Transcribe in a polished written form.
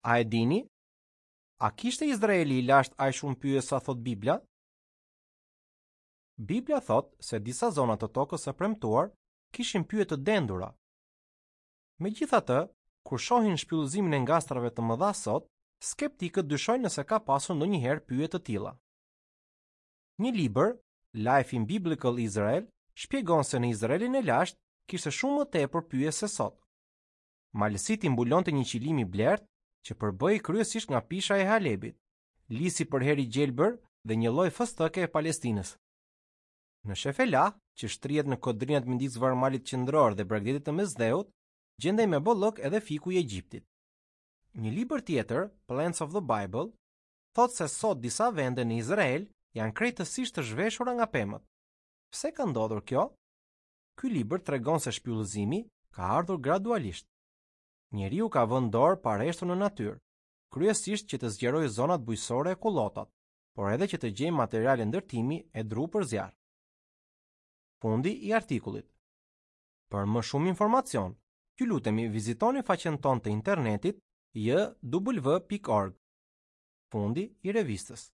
A e dini? A kishte Izraeli i lashtë aq shumë pyje sa thotë Bibla? Bibla thotë se disa zona të tokës së premtuar kishin pyje të dendura. Megjithatë, kur shohin shpyllëzimin e ngastrave të mëdha sot, skeptikët dyshojnë nëse ka pasur ndonjëherë pyje të tilla. Një libër, Life in Biblical Israel, shpjegon se në Izraelin e lashtë kishte shumë më tepër pyje se sot. Malësitë i mbulonte një qilim i blertë që përbëhej kryesisht nga pisha e Halebit, lisi përherë i gjelbër dhe një lloj fëstëke e Palestinës. Në Shefelah, që shtrihet në kodrinat midis vargmalit qendror dhe bregdetit të Mesdheut, gjendej me bollëk edhe fiku i Egjiptit. Një libër tjetër, Plants of the Bible, thotë se sot disa vende në Izrael janë krejtësisht të zhveshura nga pemët. Pse ka ndodhur kjo? Ky libër tregon se shpyllëzimi ka ardhur gradualisht. Njeriu ka vënë dorë pareshtur në natyrë, kryesisht që të zgjerojë zonat bujqësore e kullotat, por edhe që të gjejë materiale ndërtimi e dru për zjarr. Fundi i artikullit. Për më shumë informacion, ju lutemi vizitoni faqen tonë të internetit jw.org. Fundi i revistës.